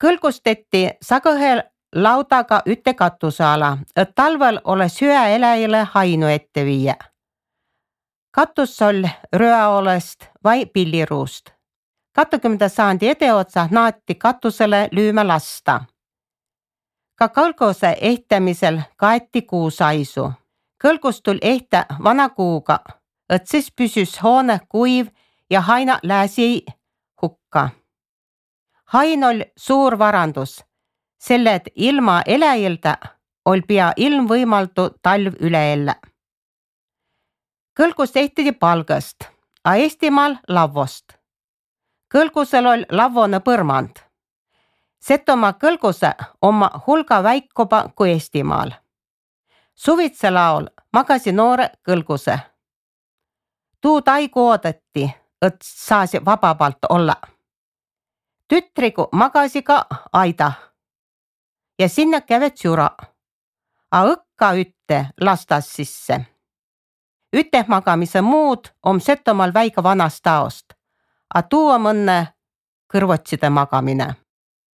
Kõlgusteti sagõhel laudaga ütte katusala, et talvel ole süäeläjile hainu ette viia. Katus oli rööolest vai pilliruust. 20. sajandi edeotsa naati katusele lüüme lasta. Ka kõlguse ehtämisel kaeti kuusaisu. Kõlgus tuli ehtä vana kuuga, et siis püsüs hoone kuiv ja haina lääsi hukka. Hain oli suur varandus, selle et ilma eläjilda oli pea ilmvõimaldu talv üle elä. Kõlgus ehtidi palgast, a Eestimaal lavvost. Kõlgusel oli lavvone põrmand. Setomaa kõlguse oma hulga väikuba kui Eestimaal. Suvitse laul magasi noore kõlguse. Tuu taigu oodati, et saasi vababalt olla. Tütrigu magasi ka aida ja sinna kävet süra, a õkka ütte lastas sisse. Üte magamise muud on Setomaal väiga vanast taost, a tuu on õnne kõrvotside magamine.